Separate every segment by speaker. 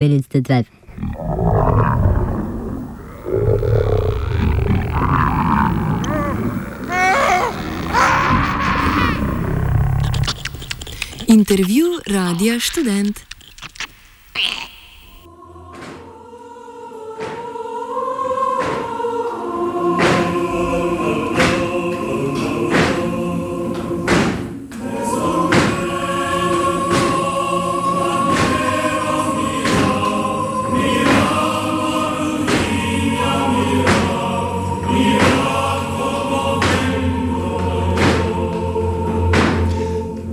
Speaker 1: minutes to 12.
Speaker 2: Intervju Radia Študent.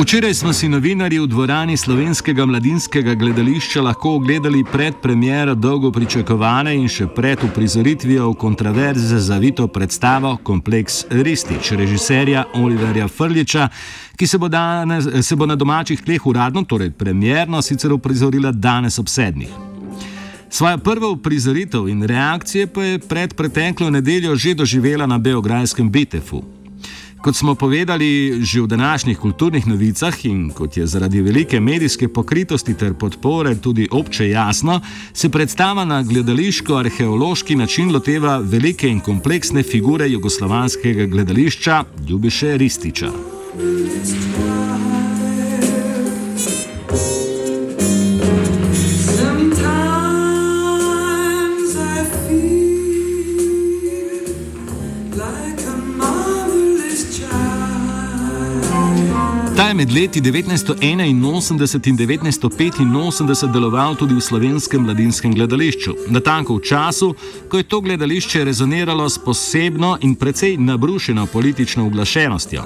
Speaker 3: Včeraj smo si novinarji v dvorani Slovenskega mladinskega gledališča lahko ogledali predpremiero dolgo pričakovane in še pred uprizoritvijo v kontraverze zavito predstavo Kompleks Ristić režiserja Oliverja Frljića, ki se bo na domačih tleh uradno, torej premierno, sicer uprizorila danes ob 7. Svojo prvo uprizoritev in reakcije pa je pred preteklo nedeljo že doživela na beograjskem Bitefu. Kot smo povedali že v današnjih kulturnih novicah in kot je zaradi velike medijske pokritosti ter podpore tudi obče jasno, se predstava na gledališko-arheološki način loteva velike in kompleksne figure jugoslovanskega gledališča Ljubiše Ristića. Ta je med leti 1981 in 1985 deloval tudi v Slovenskem mladinskem gledališču, natanko v času, ko je to gledališče rezoniralo s posebno in precej nabrušeno politično uglašenostjo.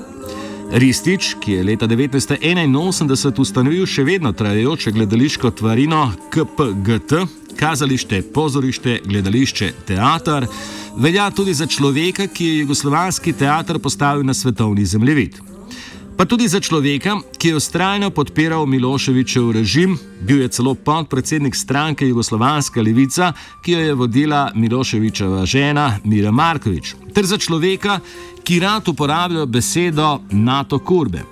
Speaker 3: Ristić, ki je leta 1981 ustanovil še vedno trajajoče gledališko tvarino KPGT, kazalište, pozorište, gledališče, teater, velja tudi za človeka, ki je jugoslovanski teater postavil na svetovni zemljevid. Pa tudi za človeka, ki je vztrajno podpiral Miloševićev režim, bil je celo podpredsednik stranke Jugoslovanska levica, ki jo je vodila Miloševićeva žena Mira Marković, ter za človeka, ki rad uporablja besedo NATO kurbe.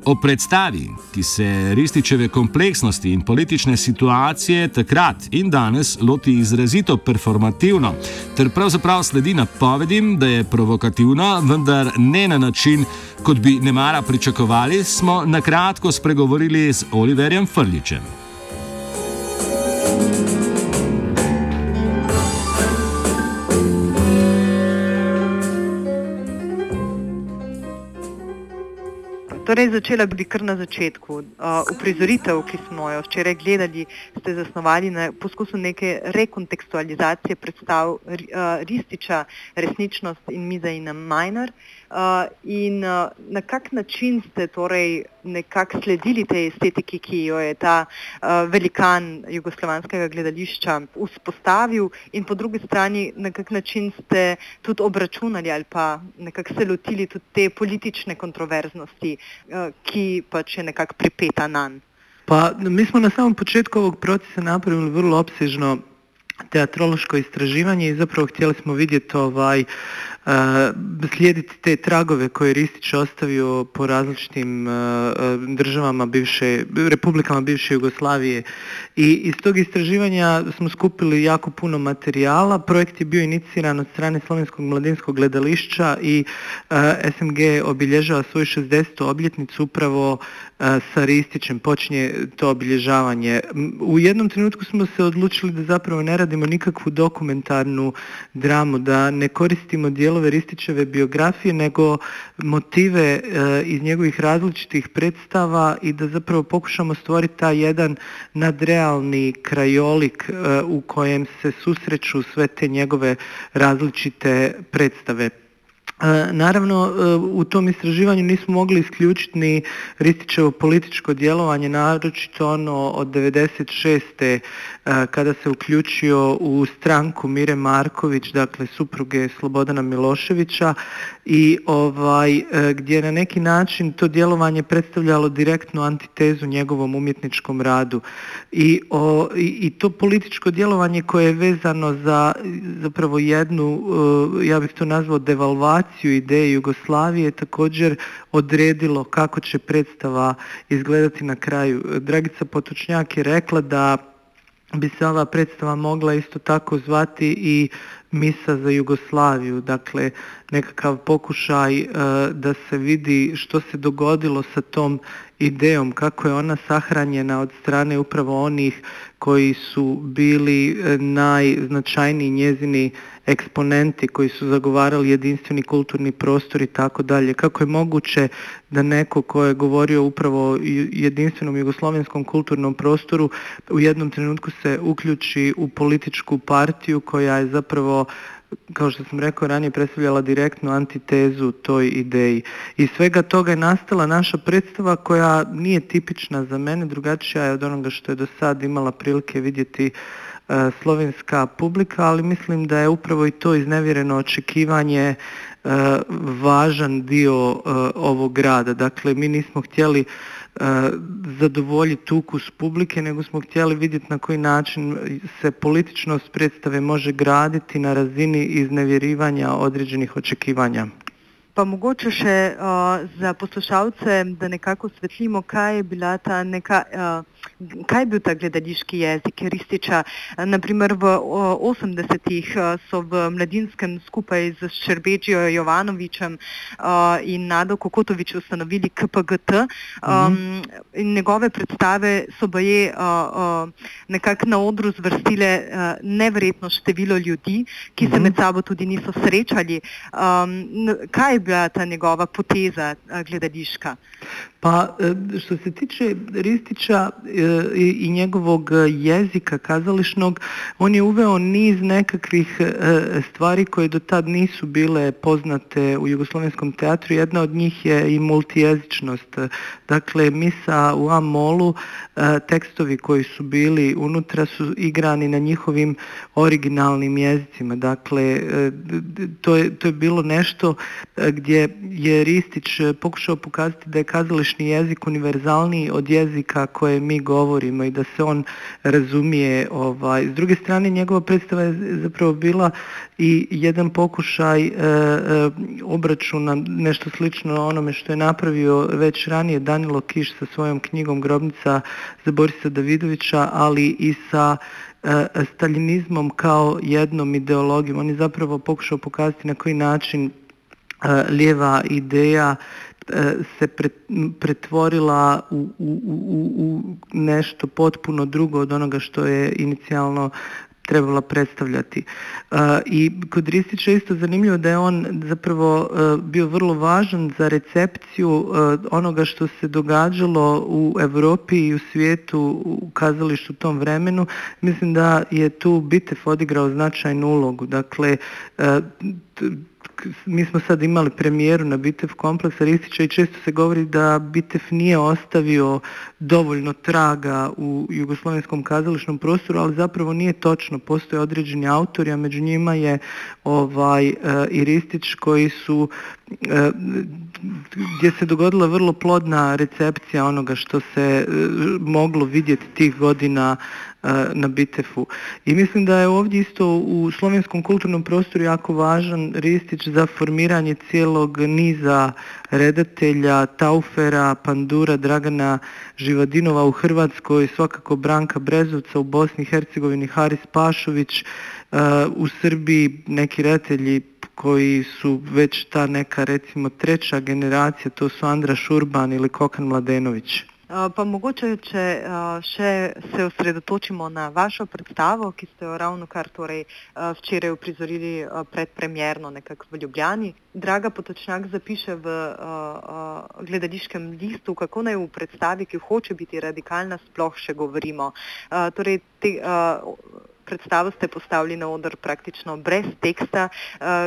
Speaker 3: O predstavi, ki se Ristićeve kompleksnosti in politične situacije takrat in danes loti izrazito performativno, ter pravzaprav sledi napovedim, da je provokativno, vendar ne na način, kot bi nemara pričakovali, smo na kratko spregovorili z Oliverjem Frljićem.
Speaker 4: Torej, začela bi kar na začetku. Uprizoritev, ki smo jo včeraj gledali, ste zasnovali na poskusu neke rekontekstualizacije predstav Ristića, Resničnost in Mizaina Majnar. In na kak način ste torej nekako sledili tej estetiki, ki jo je ta velikan jugoslovanskega gledališča vzpostavil, in po drugi strani na kak način ste tudi obračunali ali pa nekako se lotili tudi te politične kontroverznosti, ki pač je nekako pripeta nanj.
Speaker 5: Pa mi smo na samom početku ovog procesa napravili vrlo opsežno teatrološko istraživanje i zapravo htjeli smo vidjeti slijediti te tragove koje je Ristić ostavio po različitim državama republikama bivše Jugoslavije, i iz tog istraživanja smo skupili jako puno materijala. Projekt je bio iniciran od strane Slovenskog mladinskog gledališća i SMG obilježava svoju 60. obljetnicu upravo sa Ristićem, počinje to obilježavanje. U jednom trenutku smo se odlučili da zapravo ne radimo nikakvu dokumentarnu dramu, da ne koristimo dijelove Ristićeve biografije, nego motive iz njegovih različitih predstava i da zapravo pokušamo stvoriti taj jedan nadrealni krajolik u kojem se susreću sve te njegove različite predstave. Naravno, u tom istraživanju nismo mogli isključiti ni Ristićevo političko djelovanje, naročito ono od 96. Kada se uključio u stranku Mire Marković, dakle supruge Slobodana Miloševića, i gdje na neki način to djelovanje predstavljalo direktnu antitezu njegovom umjetničkom radu. I to političko djelovanje koje je vezano za zapravo jednu, ja bih to nazvao devalvaciju ideje Jugoslavije, također odredilo kako će predstava izgledati na kraju. Dragica Potočnjak je rekla da bi se ova predstava mogla isto tako zvati i Misa za Jugoslaviju, dakle nekakav pokušaj da se vidi što se dogodilo sa tom idejom, kako je ona sahranjena od strane upravo onih koji su bili najznačajniji njezini eksponenti, koji su zagovarali jedinstveni kulturni prostor i tako dalje. Kako je moguće da neko ko je govorio upravo o jedinstvenom jugoslovenskom kulturnom prostoru u jednom trenutku se uključi u političku partiju koja je zapravo, kao što sam rekao ranije, predstavljala direktnu antitezu toj ideji. Iz svega toga je nastala naša predstava koja nije tipična za mene, drugačija je od onoga što je do sad imala prilike vidjeti slovenska publika, ali mislim da je upravo i to iznevjereno očekivanje važan dio ovog grada. Dakle, mi nismo htjeli zadovoljiti ukus publike, nego smo htjeli vidjeti na koji način se političnost predstave može graditi na razini iznevjerivanja određenih očekivanja.
Speaker 4: Pa mogoče še za poslušalce, da nekako osvetlimo, kaj je bila ta kaj je bil ta gledališki jezik Ristića. Naprimer v 80-ih so v Mladinskem skupaj z Ščerbeđijo Jovanovićem in Nado Kokotović ustanovili KPGT in njegove predstave so baje nekako na odru zvrstile neverjetno število ljudi, ki se med sabo tudi niso srečali. Kaj je bila ta njegova poteza gledališka?
Speaker 5: Pa što se tiče Ristića i njegovog jezika kazališnog, on je uveo niz nekakvih stvari koje do tad nisu bile poznate u jugoslovenskom teatru. Jedna od njih je i multijezičnost. Dakle, Misa u A-molu, tekstovi koji su bili unutra su igrani na njihovim originalnim jezicima. Dakle, to je bilo nešto gdje je Ristić pokušao pokazati da je kazališni jezik univerzalniji od jezika koje mi govorimo i da se on razumije. S druge strane, njegova predstava je zapravo bila i jedan pokušaj obračuna, nešto slično onome što je napravio već ranije Danilo Kiš sa svojom knjigom Grobnica za Borisa Davidovića, ali i sa staljinizmom kao jednom ideologijom. On je zapravo pokušao pokazati na koji način lijeva ideja se pretvorila u nešto potpuno drugo od onoga što je inicijalno trebala predstavljati. I kod Ristića je isto zanimljivo da je on zapravo bio vrlo važan za recepciju onoga što se događalo u Europi i u svijetu u kazalištu u tom vremenu. Mislim da je tu Bitev odigrao značajnu ulogu. Dakle, mi smo sad imali premijeru na Bitev kompleksa Ristića i često se govori da Bitev nije ostavio dovoljno traga u jugoslovenskom kazališnom prostoru, ali zapravo nije točno. Postoje određeni autori, a među njima je i Ristić koji su gdje se dogodila vrlo plodna recepcija onoga što se moglo vidjeti tih godina na Bitefu. I mislim da je ovdje isto u slovenskom kulturnom prostoru jako važan Ristić za formiranje cijelog niza redatelja, Taufera, Pandura, Dragana Živadinova u Hrvatskoj, svakako Branka Brezovca, u Bosni i Hercegovini Haris Pašović, u Srbiji neki redatelji koji su već ta neka, recimo, treća generacija, to su Andra Šurban ili Kokan Mladenović.
Speaker 4: Pa mogoče, če še se osredotočimo na vašo predstavo, ki ste jo ravnokar včeraj uprizorili predpremierno nekako v Ljubljani. Draga Potočnjak zapiše v gledališkem listu, kako naj v predstavi, ki hoče biti radikalna, sploh še govorimo. Torej, predstavo ste postavili na oder praktično brez teksta,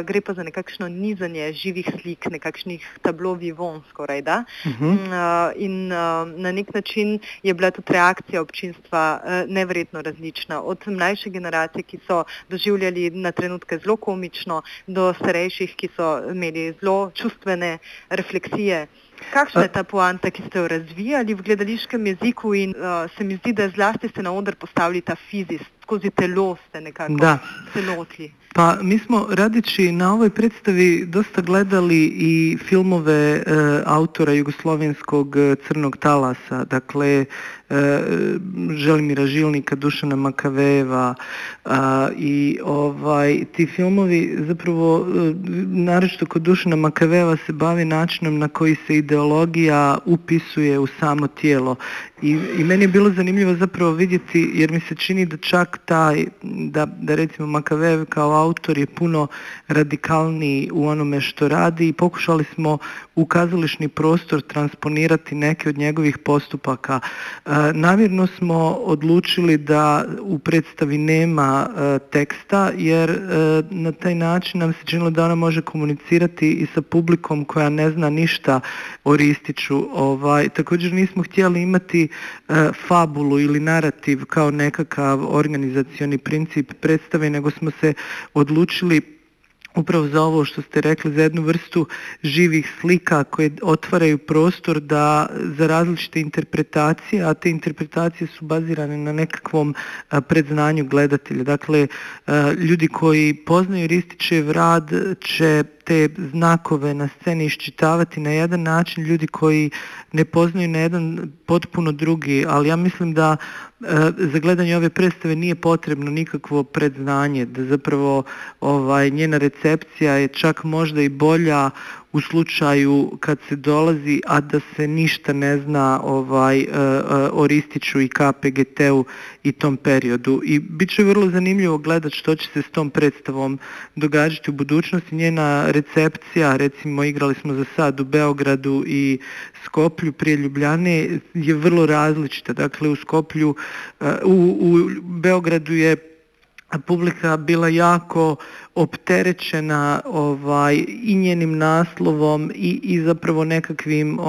Speaker 4: gre pa za nekakšno nizanje živih slik, nekakšnih tablo vivant skoraj, da? In na nek način je bila tudi reakcija občinstva neverjetno različna. Od mlajše generacije, ki so doživljali na trenutke zelo komično, do starejših, ki so imeli zelo čustvene refleksije. Kakšna je ta poanta, ki ste jo razvijali v gledališkem jeziku in se mi zdi, da zlasti ste na oder postavili ta fizis, skozi telo ste nekako se lotili.
Speaker 5: Pa mi smo radeći na ovoj predstavi dosta gledali i filmove autora jugoslovenskog Crnog talasa, dakle Želimira Žilnika, Dušana Makavejeva i ti filmovi zapravo naročito kod Dušana Makavejeva se bavi načinom na koji se ideologija upisuje u samo tijelo i meni je bilo zanimljivo zapravo vidjeti, jer mi se čini da čak da recimo Makavejev kao autor je puno radikalniji u onome što radi i pokušali smo u kazališni prostor transponirati neke od njegovih postupaka. Namjerno smo odlučili da u predstavi nema teksta, jer na taj način nam se činilo da ona može komunicirati i sa publikom koja ne zna ništa o Ristiću. Također nismo htjeli imati fabulu ili narativ kao nekakav organizacioni princip predstave, nego smo se odlučili upravo za ovo što ste rekli, za jednu vrstu živih slika koje otvaraju prostor za različite interpretacije, a te interpretacije su bazirane na nekakvom predznanju gledatelja. Dakle, ljudi koji poznaju Ristićev rad će te znakove na sceni iščitavati na jedan način, ljudi koji ne poznaju na jedan potpuno drugi, ali ja mislim da za gledanje ove predstave nije potrebno nikakvo predznanje, da zapravo njena recepcija je čak možda i bolja u slučaju kad se dolazi, a da se ništa ne zna o Ristiću i KPGT-u i tom periodu. I bit će vrlo zanimljivo gledati što će se s tom predstavom događati u budućnosti. Njena recepcija, recimo igrali smo za sad u Beogradu i Skoplju prije Ljubljane, je vrlo različita. Dakle, u Beogradu je publika bila jako opterećena i njenim naslovom i zapravo nekakvim,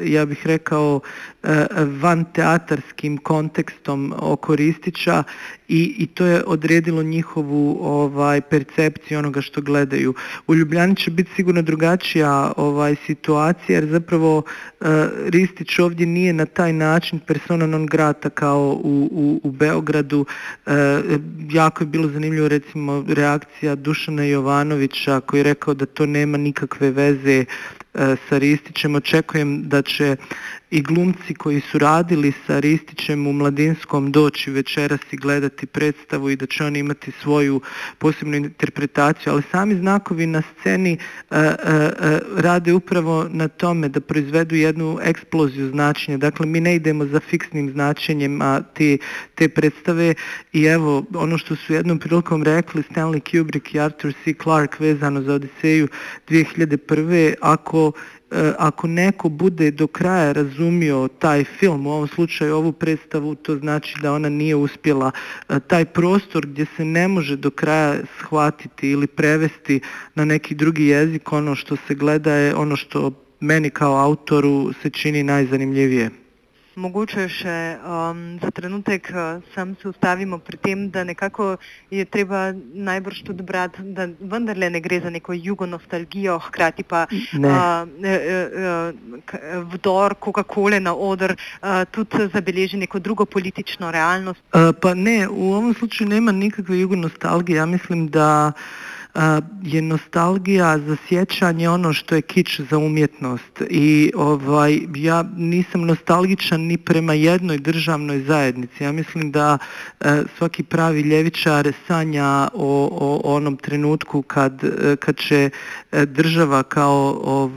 Speaker 5: ja bih rekao, vanteatarskim kontekstom oko Ristića i to je odredilo njihovu percepciju onoga što gledaju. U Ljubljani će biti sigurno drugačija situacija, jer zapravo Ristić ovdje nije na taj način persona non grata kao u Beogradu. Jako je bilo zanimljivo recimo reakcija Dušana Jovanovića koji je rekao da to nema nikakve veze sa Ristićem. Očekujem da će i glumci koji su radili sa Ristićem u Mladinskom doći večeras i gledati predstavu i da će oni imati svoju posebnu interpretaciju, ali sami znakovi na sceni rade upravo na tome da proizvedu jednu eksploziju značenja. Dakle, mi ne idemo za fiksnim značenjem te predstave i evo, ono što su jednom prilikom rekli Stanley Kubrick i Arthur C. Clarke vezano za Odiseju 2001. Ako neko bude do kraja razumio taj film, u ovom slučaju ovu predstavu, to znači da ona nije uspjela. Taj prostor gdje se ne može do kraja shvatiti ili prevesti na neki drugi jezik, ono što se gleda je ono što meni kao autoru se čini najzanimljivije.
Speaker 4: Mogoče še za trenutek sam se ustavimo pri tem, da nekako je treba najbrž tudi brati, da vendarle ne gre za neko jugonostalgijo, hkrati pa vdor Coca-Cole na oder tudi zabeleži neko drugo politično realnost.
Speaker 5: Pa ne, u ovom slučaju nema nikakve jugonostalgije. Ja mislim da je nostalgija za sjećanje ono što je kič za umjetnost i ja nisam nostalgičan ni prema jednoj državnoj zajednici. Ja mislim da svaki pravi ljevičar sanja o onom trenutku kad će država kao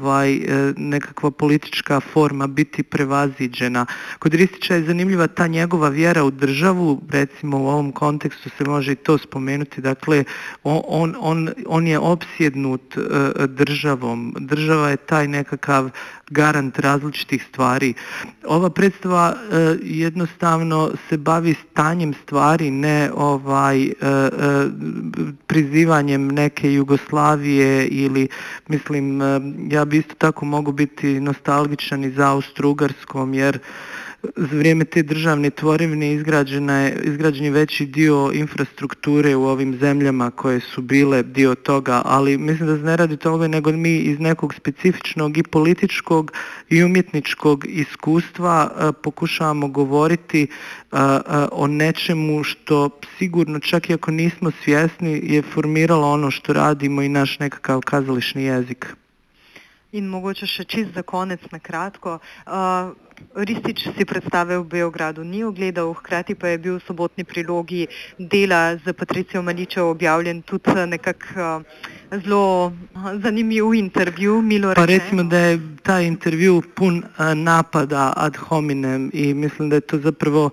Speaker 5: nekakva politička forma biti prevaziđena. Kod Ristića je zanimljiva ta njegova vjera u državu, recimo u ovom kontekstu se može i to spomenuti, dakle on je opsjednut državom. Država je taj nekakav garant različitih stvari. Ova predstava jednostavno se bavi stanjem stvari, ne prizivanjem neke Jugoslavije ili, mislim, ja bi isto tako mogu biti nostalgičan i za Austro-Ugarskom, jer za vrijeme te državne tvorevine izgrađen je veći dio infrastrukture u ovim zemljama koje su bile dio toga, ali mislim da se ne radi toga nego mi iz nekog specifičnog i političkog i umjetničkog iskustva pokušavamo govoriti o nečemu što sigurno, čak i ako nismo svjesni, je formiralo ono što radimo i naš nekakav kazališni jezik.
Speaker 4: In mogoče še čist za konec na kratko. Ristić si predstave v Beogradu ni ogledal, hkrati pa je bil v Sobotni prilogi dela z Patricijo Maličev objavljen tudi nekako zelo zanimiv intervju, milo rečeno.
Speaker 5: Pa recimo da je taj intervju pun napada ad hominem i mislim da je to zapravo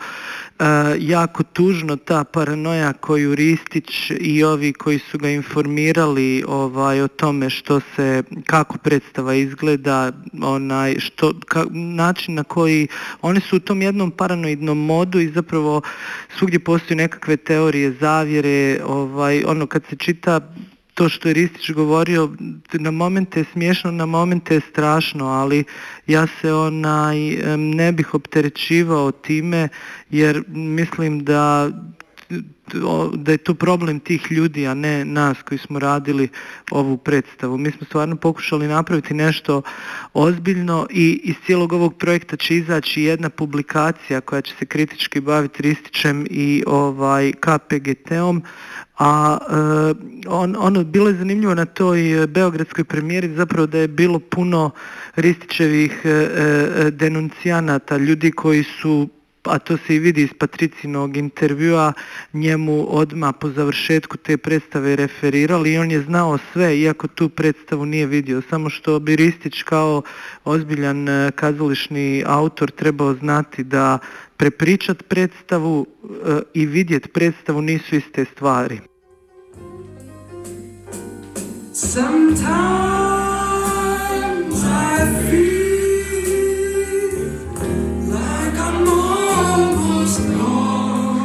Speaker 5: jako tužno, ta paranoja koju Ristić i ovi koji su ga informirali o tome kako predstava izgleda, način na koji oni su u tom jednom paranoidnom modu i zapravo svugdje postoji nekakve teorije zavjere, kad se čita to što je Ristić govorio, na momente je smiješno, na momente je strašno, ali ja se ne bih opterećivao time jer mislim da je to problem tih ljudi, a ne nas koji smo radili ovu predstavu. Mi smo stvarno pokušali napraviti nešto ozbiljno i iz cijelog ovog projekta će izaći jedna publikacija koja će se kritički baviti Ristićem i KPGT-om, a bilo je zanimljivo na toj beogradskoj premijeri zapravo da je bilo puno Ristićevih denuncijanata, ljudi koji su, a to se i vidi iz Patricijinog intervjua, njemu odmah po završetku te predstave referirali i on je znao sve, iako tu predstavu nije vidio. Samo što bi Ristić kao ozbiljan kazališni autor trebao znati da prepričat predstavu i vidjet predstavu nisu iste stvari. Sometimes I feel like I'm almost gone.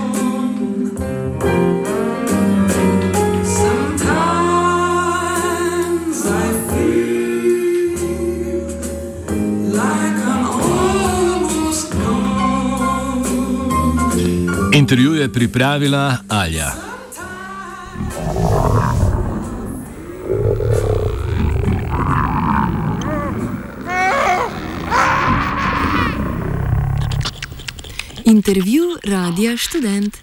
Speaker 5: Sometimes I feel like I'm almost gone.
Speaker 3: Intervju je pripravila Alja.
Speaker 2: Intervju Radia Študent.